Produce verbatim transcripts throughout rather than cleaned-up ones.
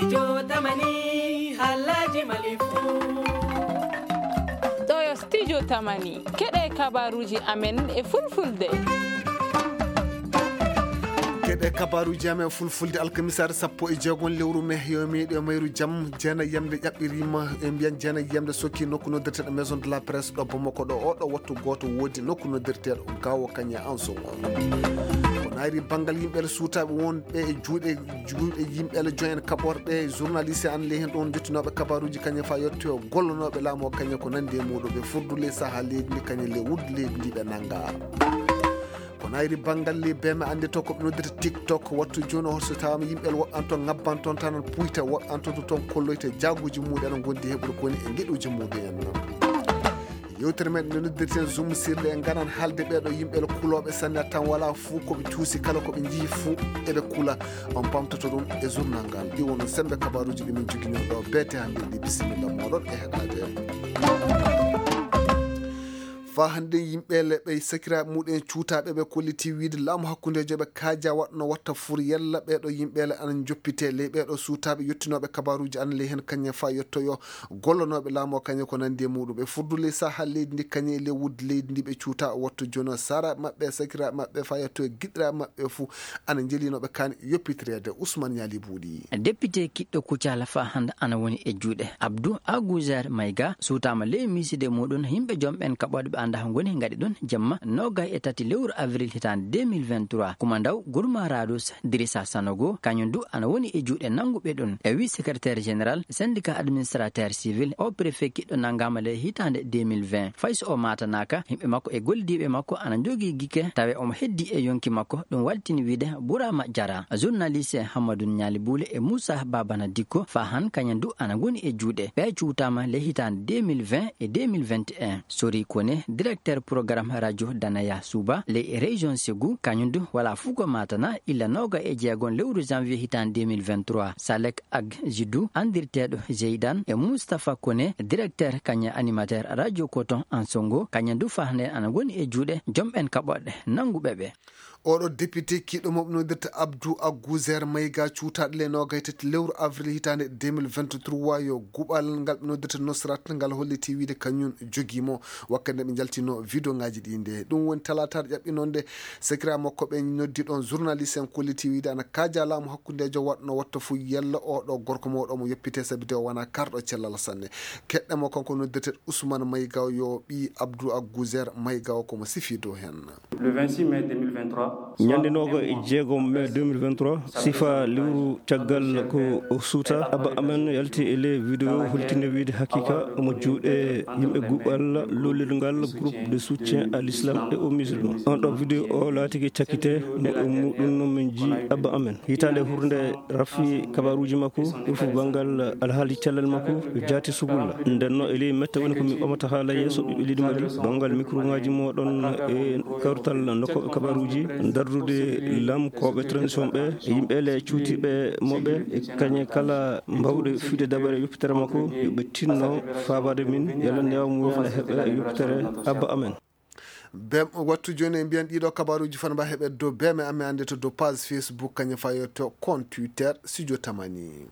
Jotamani, Alhaji Malifu. Ɗo yo Studio Tamani. Keɗe kabaruji amen e fulfulde. Keɗe kabaruji amen e fulfulde, alkamisaare sappo e jeegom lewru me, yo meeɗi o mayru jam. Jeena yamde ƴaɓɓirima, e mbiyan jeena yamde sokki nokku noddirteɗo Maison de la Presse ɗo Bamako ɗo. Oɗo wattu gooto woodi nokku noddirteɗo Gawo Kanya Anso. Ko nayri banngal yimɓe suutaaɓe wonɓe e juuɗe, juuɗe yimɓe joyen kaɓorɗe, journaliste an ley heen ɗon jottinooɓe kabaruji kañe fa yettoyo gollonooɓe laamu o kañe ko nandi e muɗum ɓe furdu ley saha leydi ndi kañe ley wuddu leydi ndi ɓe nannga. Ko nayri banngal ley beme annde to ko ɓe noddata TikTok wattu jooni o so tawama yimɓe woɓɓe an toon ngabban toon tan puyta woɓɓe an toon to toon kolloyta jaaguji muɗum en gondi heɓude ko woni e geɗuji muɗum en. Yewtere men nde noddirten Zoom sirle en ngaran haalde ɓeeɗo yimɓe kulooɓe sanne tan wala fuu ko ɓe cuusi kala ko ɓe njii fuu eɓe kula. On pamtoto ɗum e journal ngal ɗi wono sembe kabaruji ɗi min jogino ɗo beete hannde ɗi bisimilla moɗon e heɗade. Fa hannde yimɓe leɓe sakiraaɓe muɗum en cuutaaɓe ɓe kolliti wiide laamu hakkundejo ɓe kaaja waɗno watta fur yalla ɓeeɗo yimɓe le ana joppite ley ɓeeɗo suutaaɓe yottinooɓe kabaruji an ley heen kañe fa yettoyo gollonooɓe laamu o kañe ko nandi e muɗum ɓe furdu ley saha leydi ndi kañe ley wuddi leydi ndi ɓe cuuta o wattu jono sara maɓɓe sakiraaɓe maɓɓe fa yettoyo giɗiraaɓe maɓɓe fuu ana jelinoɓe kan yoppitireede. Ousmane Ñaali Buuɗi. Député kiɗɗo Kucala fa hannde ana woni e juuɗe Abdou Agouzer Maïga suutaama ley miiside muɗum yimɓe joom ɓen kaɓooɗe ɓe annda ngoni ngaɗi ɗum jamma noogay e tati lewru avril hitaande deux mille vingt-trois. Kuma ndaw Gourma Radous Dirissa Sanogo kañum du ana woni e juuɗe nannguɓe ɗum e wi secrétaire général syndicat administrateur civil o préfet kiɗɗo nanngaama ley hitaande deux mille vingt. Fay so o maatanaaka, yimɓe makko e gollidiiɓe makko ana njogii gike tawe omo heddi e yonki makko. Ɗum waltini wiide Burama Jara, journaliste Hammadou Ñaali Buule e Moussa Babana Dikko fa han kañum du ana ngoni e juuɗe ɓe cuutaama ley hitaande deux mille vingt e deux mille vingt et un. Sori Kone, directeur programme radio Danaya Suba ley région Ségou, kañum du wala fuu ko maatana illa nooga e jeegom lewru janvier hitaande deux mille vingt-trois. Salek Ag Jiddu, anndirteeɗo Jeydan e Moustapha Kone, directeur kañum animateur radio Coton en Songo, kañum du fa hannde ana ngoni e juuɗe joom ɓen kaɓorɗe nannguɓe ɓe. Oɗo député kiɗɗo mo ɓe noddirta Abdou Agouzer Maïga cuutaɗo le noogay tati lewru avril hitaande deux mille vingt-trois yo guɓal ngal ɓe noddirta Nosrat ngal holliti wiide kañum jogimo wakkati nde ɓe njaltino vidéo ngaji ɗi nde. Ɗum woni talaataare ƴaɓɓinonde sekira makko ɓe noddi ɗon journaliste en kolliti wiide ana kaaja laamu hakkundejo waɗno watta fuu yalla oɗo gorko mawɗo mo yoppite sabi de o wona karɗo cellal sanne. Keɗɗe mo kanko noddirteɗo Ousmane Maïga yo ɓi Abdou Agouzer Maïga o komo sifi dow hen. Le vingt-six mai deux mille vingt-trois. Ñande nooga e jeegom mai deux mille vingt-trois, sifa lewru caggal ko o suuta, Abba Amen yalti e ley vidéo holtinde wiide haqiqa omo juuɗe yimɓe guɓal lollirgal groupe de soutien à l'islam et aux musulmans. On ɗo vidéo o laatike cakkite mo e muɗum no min ji Abba Amen. Hitaande hurnde rafi kabaruji makko, ɗum fof banngal alhaali cellal makko, jaati sugulla. Nden no e ley mette woni ko min ɓamata haala yeeso ɓiɓɓe leydi Mali, banngal micro ngaji moɗon e kawrital nokkoɓe kabaruji, dardude lamkoɓe transition ɓe, e yimɓe le cuutiɓe moɓe, e kañe kala mbawɗe fiide dabare yoppitere makko, yo ɓe tinno faabade min, yalla newa mum ne heɓe yoppitere Abba Amen. Bem wattu jooni e mbiyan ɗiɗo kabaruji fan mba heɓe dow beme amen annde to dow page Facebook kañum fayoto compte Twitter Studio Tamani.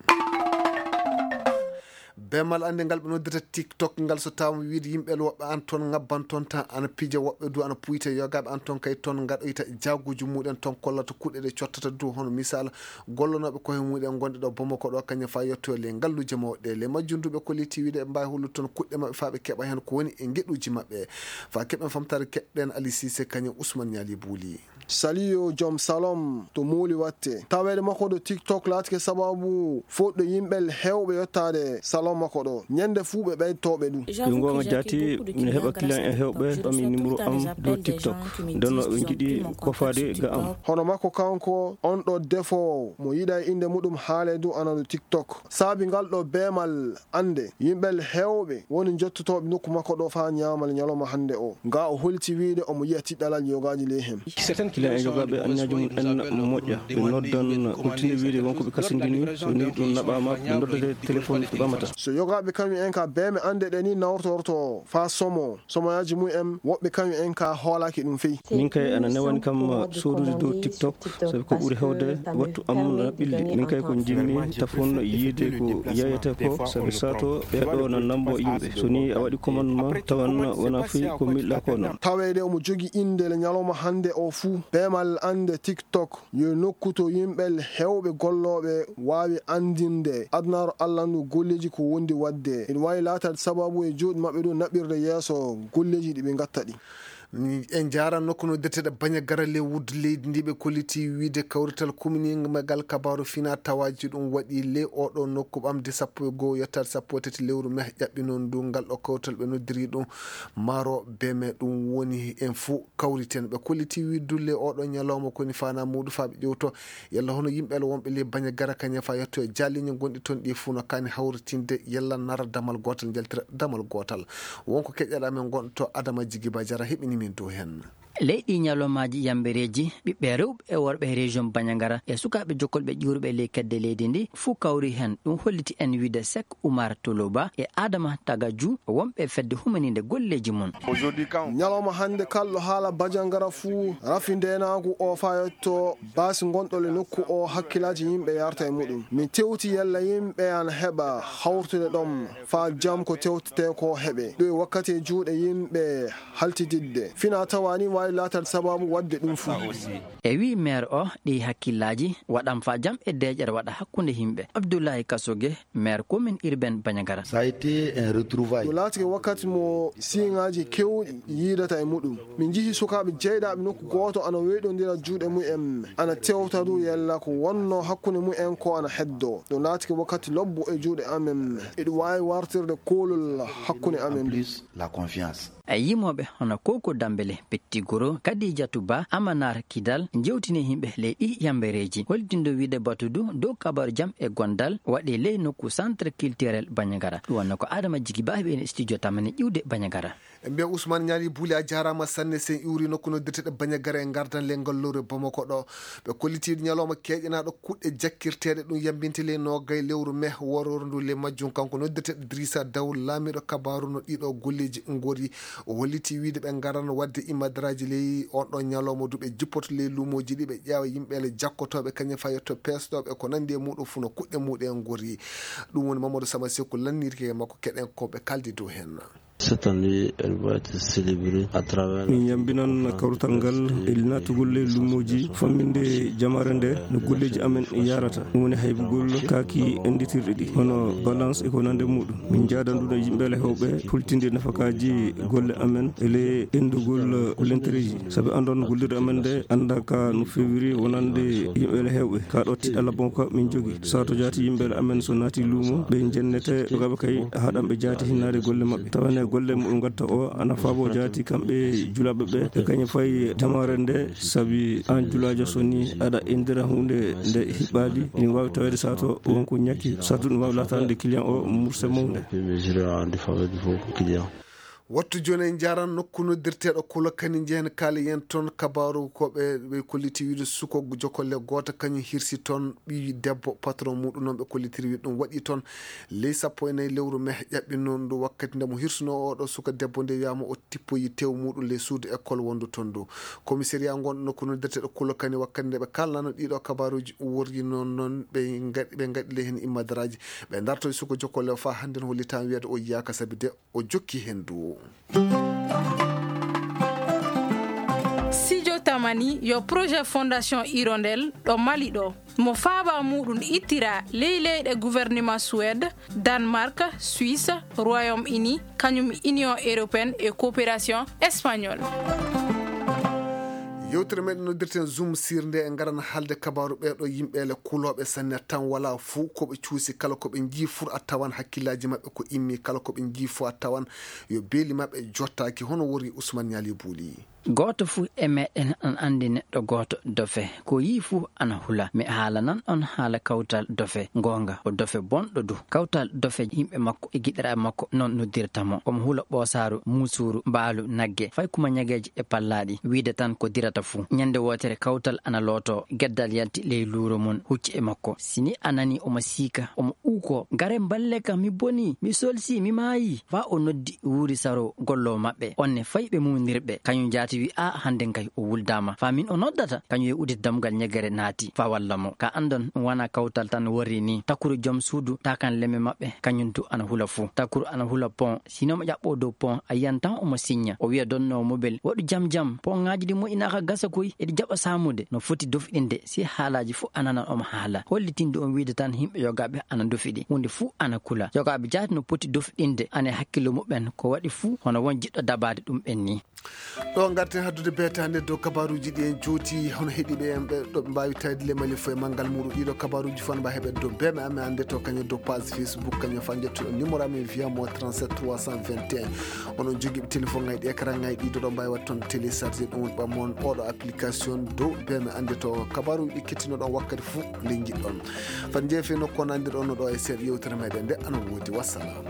Bemal annde ngal ɓe noddata TikTok ngal so tawama wiide yimɓe woɓɓe an toon ngabban toon tan ana pija woɓɓe du ana puyta yogaɓe an toon kay toon ngaɗoyta jaaguji muɗen toon kollata kuɗe ɗe cottata du hono misal gollonooɓe koye muɗen gonɗe ɗo Bamako ɗo kañum fa yettoyo le ngalluuje mawɗe le majjunduɓe kolliti wiide ɓe mbawi hollude toon kuɗɗe maɓɓe fa ɓe keɓa heen ko woni e ngeɗuji maɓɓe. Fa keɓen famtare keɗɗen Ali Cissé kañum Ousmane Ñaali Buuli. Saliyo joom salon to muuli watte taweede makko ɗo TikTok laatike sababu fodde yimɓe heewɓe yottaade salon makko ɗo ñande fuu ɓe ɓeytoɓe ɗum. Yo goonga jaati, mi heɓa client e heewɓe ɓami numéro am dow TikTok. Nden no ɓe njiɗi kofaade ga am. Hono makko kanko on ɗo defoowo mo yiɗa innde muɗum haale du ana ɗo TikTok. Saabi ngal ɗo beemal annde yimɓe heewɓe woni njottotooɓe nokku makko ɗo faa ñaamal ñalawma hannde o. Nga o holti wiide omo yiya tiɗɗalal yogaaji ley heen. Kilan e yogaaɓe anniyaaji mum en moƴƴa, ɓe noddan kultinde wiyde won ko ɓe kasindini, so nii ɗum naɓaama, ɓe noddete telefoŋ ɓe ɓamata. So yogaaɓe kañum en ka beeme annde ɗe ni nawtorto faa somo, somoyaaji mum en, woɓɓe kañum en ka hoolaaki ɗum fey. Min kay ana newani kam soodude dow TikTok, sabi ko ɓuri hewde wattu am na ɓilli. Min kay ko njimmi tafon yiide ko yeyete ko, sabi sato ɓe ɗo na nambo yimɓe. So nii a waɗi commande ma, tawan wona fii ko miɗɗa ko noon. Taweede omo jogi innde le ñalawma hannde o fuu, beemal annde TikTok yo nokku to yimɓe heewɓe gollooɓe waawi anndinde adunaaru allandu golleeji ko wondi waɗde. Ina waawi laataade sababu e juuɗe maɓɓe ɗo naɓirde yeeso golleeji ɗi ɓe ngatta ɗi. En njaara nokku no deteɗe baña gara lewude leydi ndi ɓe kolliti wiide kawrital kuminimagal kabaaru fina tawaaji ɗum waɗi ley oɗo nokku ɓamde sappo e goo yettaade sappo e tati lewru meh ƴaɓɓi noon ndu ngal ɗo kawrital ɓe noddiri ɗum maaro beme ɗum woni en fuu kawriten. Ɓe kolliti wiide ley oɗo ñalawma koni fana muuɗu faa ɓe ƴewto yalla hono yimɓe ala wonɓe ley baña gara kañe faa yetto e jaalliñe gonɗi toon ɗi fuu no kaani hawritinde yalla nara damal gootal njaltira damal gootal. Wonko keƴaɗa men gonɗo to Adama Jigiba Jara heɓini min dow heen. Leyɗi ñalawmaaji yambereeji, ɓiɓɓe rewɓe e worɓe région Bandiagara e sukaaɓe jokkolɓe ƴuuruɓe ley kedde leydi ndi, fuu kawri heen. Ɗum holliti en wiide Sek Umar Toloba e Adama Tagaju, wonɓe fedde humaninde golleeji mum. Ñalawma hannde kalɗo haala Bandiagara fuu rafi ndeenaagu o faa yetto baasi gonɗo le nokku o hakkilaaji yimɓe yarta e muɗum. Min tewti yalla yimɓe ana heɓa hawrutude ɗoon faa jam ko tewtetee ko heɓe. Ɗo e wakkati e juuɗe yimɓe haltididde. Fina tawa ni waawi laataade sababu waɗde ɗum fuu. E wii meer o, ɗi hakkillaaji waɗan faa jam e deeƴere waɗa hakkunde yimɓe. Abdoulaye Kasoge, meer commune urbaine Bandiagara. Ça a été un retrouvaille. Ɗum laatike wakkati mo siiŋaaji keewɗi yiidata e muɗum. Min njihi sukaaɓe jeyɗaaɓe nokku gooto ana weyɗondira juuɗe mum en, ana tewta du yalla ko wonno hakkunde mum en ko ana heddo. Ɗum laatike wakkati lobbo e juuɗe amen. Eɗum waawi wartirde koolol hakkunde amen. En plus, la confiance. E yimooɓe hono Koko Dambele, Petti Goro, Kadijatu Ba, Amanar Kidal, njewtini yimɓe ley ɗi yambereeji. Holdindo wiide batudu dow kabaru jam e gondal waɗi ley nokku centre culturel Bandiagara. Ɗum wonno ko Adama Jigi Ba heɓi en studio tamani ƴiwde Bandiagara. En mbiya Ousmane Ñaali Buuli a jaaraama sanne sen iwri nokku noddirteɗe Bandiagara e ngardan le ngal lowre Bamako ɗo. Ɓe kollitiiɗo ñalawma keeƴanaaɗo kuɗɗe jakkirteeɗe ɗum yambinte ley noogay lewru meh wororo ndu le majjum kanko noddirteɗo Idrissa Daw laamiiɗo kabaaru no ɗiɗo golleeji ngori. O holliti wiide ɓe ngaran waɗde imadaraaji ley on ɗon ñalawma du ɓe jippoto ley luumooji ɗi ɓe ƴeewa yimɓe le jakkotooɓe kañum faa yetto peesɗooɓe ko nanndi e muɗum fuu no kuɗɗe muɗum en ngori. Ɗum woni Mamadou Sama Seku lannirki e makko keɗen ko ɓe kaldi dow heen. Cette année, elle va être célébrée à travers. Min yambinan kawrital ngal e naatugol ley luumooji famminde jamaare nde no golleeji amen yarata. Ɗum woni haybugol kaaki annditirɗe ɗi hono balance e ko nande muɗum. Min njaadan ɗum e yimɓe le hewɓe hultinde nafakaaji golle amen e le enndugol lentereeji. Sabi anndon gollirde amen nde annda ka no fewiri wonande yimɓe le hewɓe. Ka ɗo tiɗɗa labon ka min jogi. Sato jaati yimɓe le amen so naati luumo ɓe jennete jogaɓe kay haɗan ɓe jaati hinnaade golle maɓɓe. Tawane golle muɗum gatta o ana faabo jaati kamɓe julaaɓe ɓe e kañum fayi jamaare nde sabi an julaajo so ni aɗa inndira huunde nde hiɓɓaali ina waawi taweede sato wonko ñakki sato ɗum waawi laataande client o murse mawnde. Puis mesure en défaveur du faux client. Wattu jooni en njaaran nokku noddirteeɗo Kulokani njehen kaali yen toon kabaaru ko ɓe ɓe kolliti wiide suko jokolle gooto kañum hirsi toon ɓii debbo patron muɗum noon ɓe kollitiri wiide ɗum waɗi toon ley sappo e nayi lewru meh ƴaɓɓi noon ndu wakkati nde mo hirsunoo oɗo suka debbo nde wiyaama o tippoyi tew muɗum ley suudu école wondu toon ndu. Commissariat ngonɗo nokku noddirteeɗo Kulokani wakkati nde ɓe kaalnano ɗiɗo kabaaruuji worri noon noon ɓe ngaɗi ɓe ngaɗi ley heen immadaraaji ɓe dartoyi suka jokolle o faa hannde no hollitaama wiyeede o yiyaaka sabi de o jokki heen du. Sijo Tamani yo projet Fondation Hirondelle ɗo Mali ɗo. Mo faaba muɗum ittira ley leyɗe gouvernement Suède, Danemark, Suisse, Royaume-Uni, kañum Union Européenne e Coopération Espagnole. Yewtere meɗen noddirten Zoom sirnde e ngaran haalde kabaaru ɓeeɗo yimɓeele kulooɓe sanne tan wala fuu ko ɓe cuusi kala ko ɓe njii fuu a tawan hakkillaaji maɓɓe ko immi kala ko ɓe njii fuu a tawan yo beeli maɓɓe jottaaki hono wori Ousmane Ñaali Buuli. Gooto fuu e meɗen ana anndi neɗɗo gooto dofe. Ko yii fuu ana hula. Mi haalanan on haala kawtal dofe. Ngoonga, ko dofe bonɗo du. Kawtal dofe yimɓe makko e giɗiraaɓe makko non noddirta mo. Omo hula ɓoosaaru, muusuuru, mbaalu, nagge, fay kuma ñageeje e pallaaɗi. Wiide tan ko dirata fuu. Ñande wootere kawtal ana lootoo. Geddal yalti ley luuro mum, hucci e makko. Si ni a nanii omo siika, omo uukoo, "Gare mballe kam, mi bonii, mi solsii, mi maayii." Faa o noddi wuuri saro golloowo maɓɓe. On ne fay ɓe muundirɓe. Kañum jaati wi, "Aa, hande kay o wuldaama. Faa min o noddata?" Kañum e udditi dammugal ñegere naati faa walla mo. Ka anndon ɗum wanaa kawtal tan worri ni. Takuru joom suudu taakan lemme maɓɓe, kañum du ana hula fuu. Takuru ana hula pon. Si no mo ƴaɓɓoo dow pon, a yiyan tan omo siñña. O wiya donnoowo mobel, "Waɗu jam jam. Ponŋaaji ɗi moƴƴinaaka gasa koy, eɗi jaɓa saamude." No foti dofɗinde, si haalaaji fuu a nanan omo haala. Hollitinde on wiide tan yimɓe yogaaɓe ana ndofi ɗi. Huunde fuu ana kula. Yogaaɓe jaati no poti dofɗinde, ana e hakkillo muɓɓen ko waɗi fuu, hono won jiɗɗo dabaade ɗum ɓen ni. Ɗo ngarten haddude beetaande dow kabaruuji ɗi en jooti, hono heɗiiɓe en ɓe ɗo ɓe mbaawi tawde le Mali fof e manngal muuɗum. Ɗiɗo kabaruuji fof no mbaawi heɓeede dow B M A mi annde to kañum dow page Facebook, kañum fof njettuɗo numéro amen via mo trente-sept trois cent vingt et un. Onon jogiiɓe téléphone ŋaaji ɗi, écran ŋaaji ɗi, ɗo ɗo mbaawi waɗde toon télécharger ɗum woni ɓammoon oɗo application dow B M A annde to kabaruuji ɗi kettinoɗon wakkati fof nde njiɗɗon. Fat njeefe nokku o nandirɗon no ɗo e seeɗa yewtere meɗen nde ana woodi. Wassalam.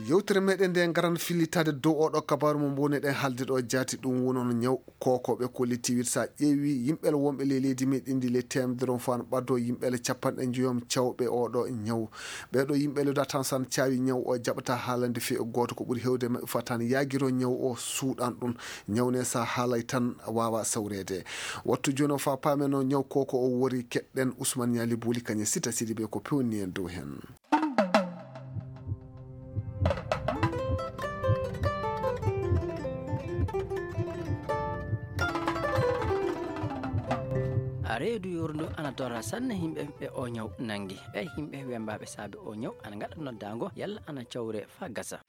Yewtere meɗen nde ngaran fillitaade dow oɗo kabaaru mo mbowneɗen haalde ɗo jaati, ɗum woni on ñaw kooko ɓe kolliti wiide so a ƴeewi yimɓe wonɓe ley leydi meɗen ndi le teemedere on fof ana ɓadoo yimɓe capanɗe njoyom cawɓe oɗo ñaw. Ɓeeɗo yimɓe le datan san caawi ñaw o jaɓata haalande fii e gooto ko ɓuri heewde maɓɓe fof tan yaagiro ñaw o suuɗan ɗum. Ñaw ne so a haalay tan waawa sawreede. Wattu jooni o faa paamen no ñaw kooko o wori keɗɗen Ousmane Ñaali Booli kañum Sita Sidibe ko pewni en dow heen. A reedu yorndu ana tora sanne yimɓe ɓe o ñaw nangi. Ɓe yimɓe wembaaɓe saabe o ñaw ana ngaɗa noddaango yalla ana cawre faa gasa.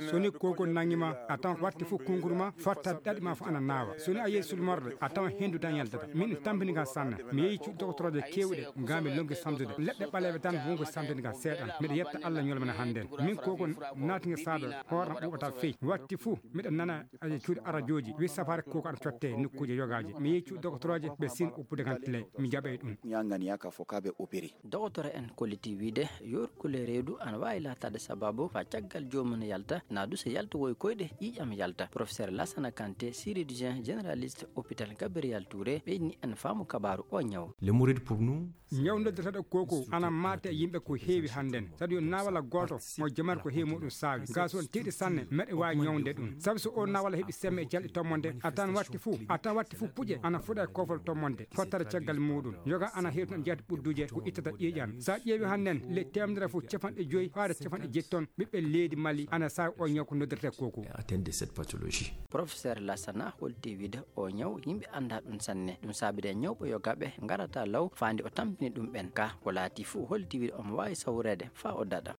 Soni koko nangi ma, a tan watti fof kunkuru ma, fatta ɗaɗi ma fof ana naawa. Soni a yehi sulmorde, a tawan hendu tan yaltata. Min ɗum tampini kam sanne. Mi yehi cuuɗi doktorooje keewɗe, ngam mi lonki samtude. Leɗɗe ɓaleeɓe tan wonko samtini kam seeɗan. Miɗo yetta Allah ñolmana hannden. Min koko naatnge saabe, hoore am ɓuuɓata fey. Watti fof, miɗo nana e cuuɗi arajooji, wi safaare koko aɗa cotte nokkuuje yogaaji. Mi yehi cuuɗi doktorooje, ɓe sin uppude kam tile. Mi jaɓay ɗum. Ñangani yaka fo kaɓe opéré. Dogotoro en kolliti wiide, yorgol e reedu ana waawi laataade sabaabu faa caggal joomum yalta, naa du so yaltowoy koyɗe ƴiiƴam yalta. Professeur Lassana Kanté, chirurgien généraliste hôpital Gabriel Touré, ɓeyni en faamu kabaaru o ñaw. Le mourid pour nous. Ñaw noddirteeɗo koko ana maate e yimɓe ko heewi hannden. Saɗi yo naawala gooto mo jamaare ko heewi muɗum saawi. Gaa so on tiiɗi sanne, meɗe waawi ñawde ɗum. Sabi so o naawala heɓi semme e calɗi tommonde, a tan watti fuu, a tan watti fuu puƴe ana fuɗa e koofol tommonde. Fottata caggal muuɗum. Yoga ana heewtina jeyaade ɓudduuje ko ittata ƴiiƴan. So a ƴeewi hannden, le teemedere fof capanɗe joyi faade capanɗe jetti ton ɓiɓɓe leydi Mali ana saawi o ñaw ko noddirtee koko. Atteinte de cette pathologie. Professeur Lassana holti wiide o ñaw yimɓe anndaa ɗum sanne. Ɗum saabide ñawɓe yogaaɓe ngarata law faandi o tampini ɗum ɓen. Ka ko laati fof holti wiide omo waawi sawreede faa o daɗa.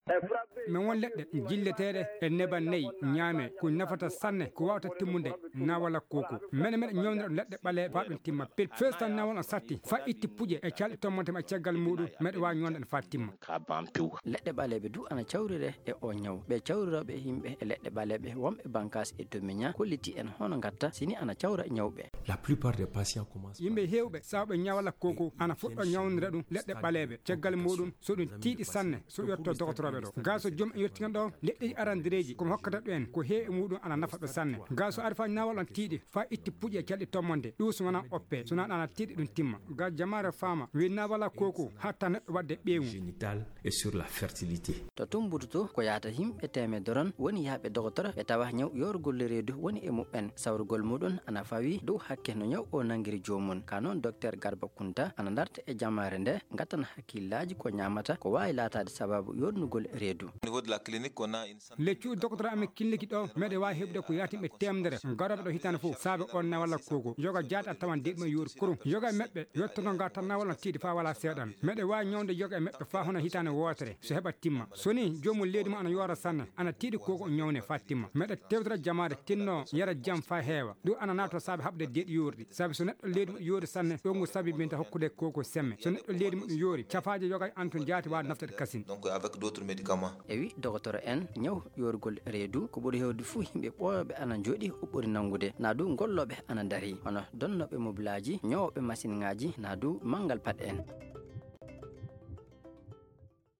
Min won leɗɗe jilleteeɗe e neban nayi ñaame ko nafata sanne ko waawata timmude naawala koko. Mene meɗe ñawnira ɗum leɗɗe ɓaleeɓe faa ɗum timma pil. Fees tan naawal on satti faa itti puƴe e calɗi tommonte ma caggal muuɗum meɗe waawi ñawnde ɗum faa timma. Leɗɗe ɓaleeɓe du ana cawrire e o ñaw. Ɓe cawrirooɓe yimɓe e leɗɗe ɓaleeɓe wonɓe bankaas e domiña kolliti en hono ngatta sini ana cawra ñawɓe. La plupart des patients commencent. Yimɓe heewɓe sawɓe ñawala koko ana fuɗɗo ñawnira ɗum leɗɗe ɓaleeɓe. Caggal muuɗum so ɗum tiiɗi sanne so yotto dogotorooɓe ɗo. Gaa so joom en yotti kan ɗo leɗɗeji arandireeji ko mi hokkata ɗo en ko heewi e muuɗum ana nafa ɓe sanne. Gaa so ari faa naawal on tiiɗi faa itti puƴe calɗi tommonde ɗum so wonaa oppe so wonaa ana tiiɗi ɗum timma. Gaa jamaare faama wi naawala koko hatta neɗɗo waɗde ɓeyngu. Génital et sur la fertilité. To Tumbutu to ko yahata yimɓe teemedere on woni yahɓe dogotoro ɓe tawa ñaw yorgol reedu woni e muɓɓen. Sawrugol muɗum ana fawi dow hakke no ñaw o nangiri joomum. Ka noon Docteur Garba Kunta ana darta e jamaare nde ngattana hakkillaaji ko ñaamata ko waawi laataade sabaabu yornugol reedu. Au niveau de la clinique, on a une Leccu doktor amen killiki ɗo, meɗe waawi heɓude ko yaatimɓe teemedere garooɓe ɗo hitaande fof, saabe on nawala koko. Yoga jaati a tawan deeɗi ma yoori kurum. Yoga e maɓɓe yottoto ngaa tan nawal on tiiɗi faa wala seeɗan. Meɗe waawi ñawde yoga e maɓɓe faa hono hitaande wootere, so heɓa timma. So ni, joomum leydi mo ana yoora sanne, ana tiiɗi koko o ñawne faa timma. Meɗe tewtira jamaare tinno yara jam faa heewa. Ɗum ana naato saabe haɓde deeɗi yoorɗi. Saabe so neɗɗo leydi mum yoori sanne, ɗo ngu sabi min ta hokkude koko semme. So neɗɗo leydi mum yoori, cafaaje yoga e an tun jaati waawa naftude kasin. Donc, avec d'autres médicaments. E Wi dogotoro en, ñaw yoorgol reedu ko ɓuri heewde fuu yimɓe ɓooyooɓe ana njooɗi o ɓuri nanngude, naa du gollooɓe ana ndarii, hono donnooɓe mobilaaji, ñoowooɓe masinŋaaji, naa du manngal paɗe en.